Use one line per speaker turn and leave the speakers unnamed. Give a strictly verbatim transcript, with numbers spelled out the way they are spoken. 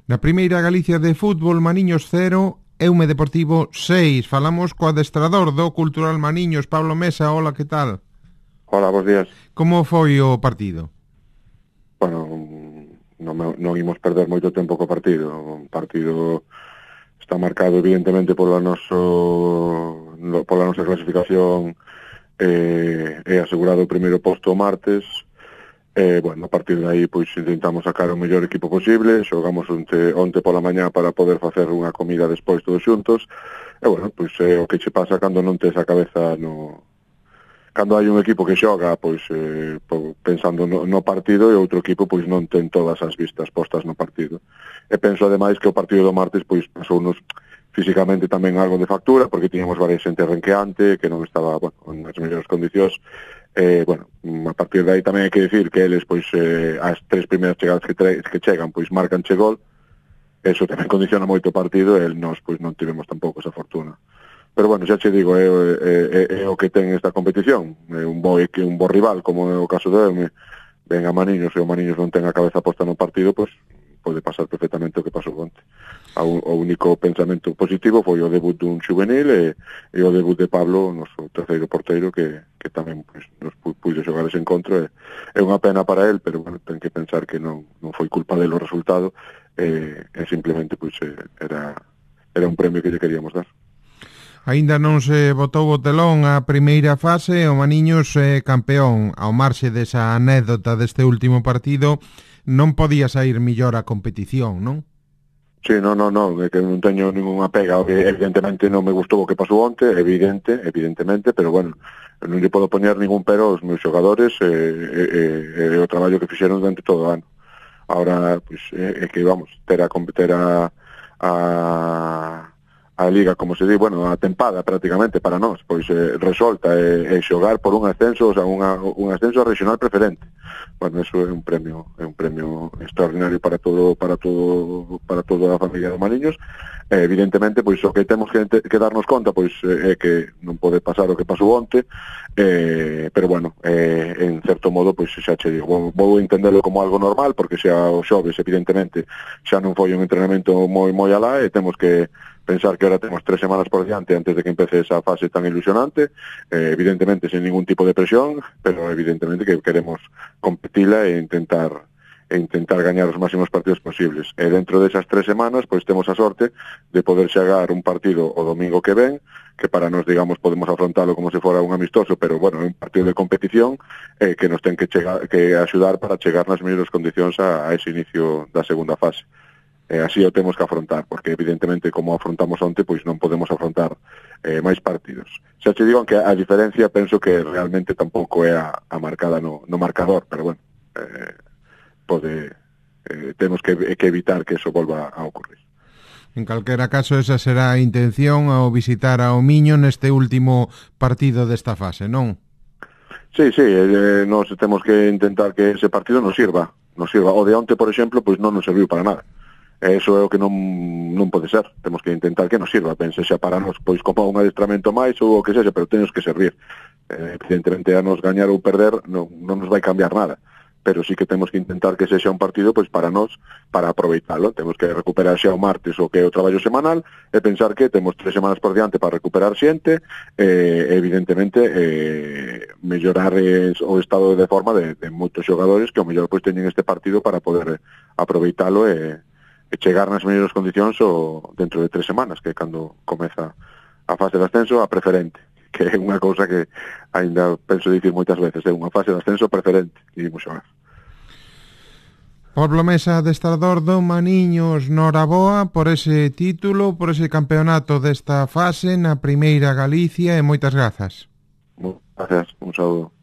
Na primeira Galicia de fútbol, Maniños cero, Eume Deportivo seis. Falamos co adestrador do Cultural Maniños, Pablo Mesa. Hola, que tal?
Hola, bons días.
Como foi o partido?
Bueno, non, non imos perder moito tempo co partido. O partido está marcado evidentemente pola noso, pola nosa clasificación eh, é asegurado o primeiro posto o martes. Eh, bueno, a partir de aí pois intentamos sacar o mellor equipo posible, xogamos onte, onte pola mañá para poder facer unha comida despois todos xuntos, e bueno, pois é o que che pasa cando non tes a cabeza no... Cando hai un equipo que xoga pois eh, pensando no, no partido e outro equipo pois non ten todas as vistas postas no partido. E penso ademais que o partido do martes pois pasounos físicamente tamén algo de factura, porque tiñamos varias xente renqueante que non estaba, bueno, nas mellores condicións. Eh, bueno, a partir de aí tamén hai que dicir que eles, pois, eh, as tres primeiras chegadas que, tre que chegan, pois, marcan che gol. Eso tamén condiciona moito o partido e nós, pois, non tivemos tampouco esa fortuna. Pero, bueno, xa che digo, é, é, é o que ten esta competición. É un bo, un bo rival, como é o caso de Eume. Ven a Maniños e o Maniños non ten a cabeza posta no partido, pois, pode pasar perfectamente o que pasou onte. O único pensamento positivo foi o debut dun juvenil e, e o debut de Pablo, o noso terceiro porteiro, que, que tamén pues, nos puido xogar ese encontro. É, é unha pena para él, pero bueno, ten que pensar que non, non foi culpa dele o resultado, e, e simplemente pues, era, era un premio que lle queríamos dar.
Aínda non se botou o telón a primeira fase, o Maniños é campeón. Ao marxe desa anécdota deste último partido, non podía sair millor a competición, non?
Sí, non, non, non, é que non teño ninguna pega, evidentemente non me gustou o que pasou onte, evidente, evidentemente, pero bueno, non lle podo poñer ningún pero aos meus xogadores e, e, e o traballo que fixeron durante todo o ano. Ahora, pois, pues, é, é que, vamos, ter a, ter a, a, a liga, como se di, bueno, a tempada prácticamente para nós, pois eh, resolta e, e xogar por un ascenso, o sea, unha, un ascenso regional preferente. Bueno, eso é un premio, é un premio extraordinario para todo, para todo, para toda a familia de Maniños. Eh, evidentemente, pois o que temos que, que darnos conta, pois é que non pode pasar o que pasou onte, eh, pero bueno, eh, en certo modo, pois xa che digo, vou, vou entenderlo como algo normal, porque xa o xoves, evidentemente, xa non foi un entrenamento moi moi alá, e temos que pensar que ahora temos tres semanas por diante antes de que empece esa fase tan ilusionante, eh, evidentemente sin ningún tipo de presión, pero evidentemente que queremos competila e intentar e intentar gañar os máximos partidos posibles. E dentro desas tres semanas, pois temos a sorte de poder chegar un partido o domingo que ven, que para nós, digamos, podemos afrontalo como se fora un amistoso, pero, bueno, é un partido de competición eh, que nos ten que, chegar, que axudar para chegar nas mellores condicións a, a ese inicio da segunda fase. Eh, así o temos que afrontar, porque evidentemente como afrontamos onte, pois non podemos afrontar eh, máis partidos. Xa te digo que a diferencia penso que realmente tampouco é a, a marcada no, no marcador, pero bueno, eh, pode, eh, temos que, que evitar que eso volva a ocurrir.
En calquera caso, esa será a intención ao visitar ao Miño neste último partido desta fase, non?
Sí, sí, eh, nos temos que intentar que ese partido nos sirva, nos sirva. O de onte, por exemplo, pois non nos serviu para nada. Eso é o que non, non pode ser. Temos que intentar que nos sirva, pense xa para nos, pois como un adestramento máis ou o que sexa, pero tenos que servir. Eh, evidentemente a nos gañar ou perder non, non nos vai cambiar nada, pero sí que temos que intentar que sexa un partido pois para nós, para aproveitalo. Temos que recuperar xa o martes o que é o traballo semanal e pensar que temos tres semanas por diante para recuperar xente e evidentemente eh, mellorar eh, o estado de forma de, de moitos xogadores que ao mellor pois teñen este partido para poder aproveitalo e e chegar nas mellores condicións o dentro de tres semanas, que é cando comeza a fase de ascenso a preferente, que é unha cousa que ainda penso dicir moitas veces, é unha fase de ascenso preferente que imos xogar.
Pablo Mesa, adestrador do Maniños, noraboa por ese título, por ese campeonato desta fase na primeira Galicia e moitas grazas.
Moitas gracias, un saúdo.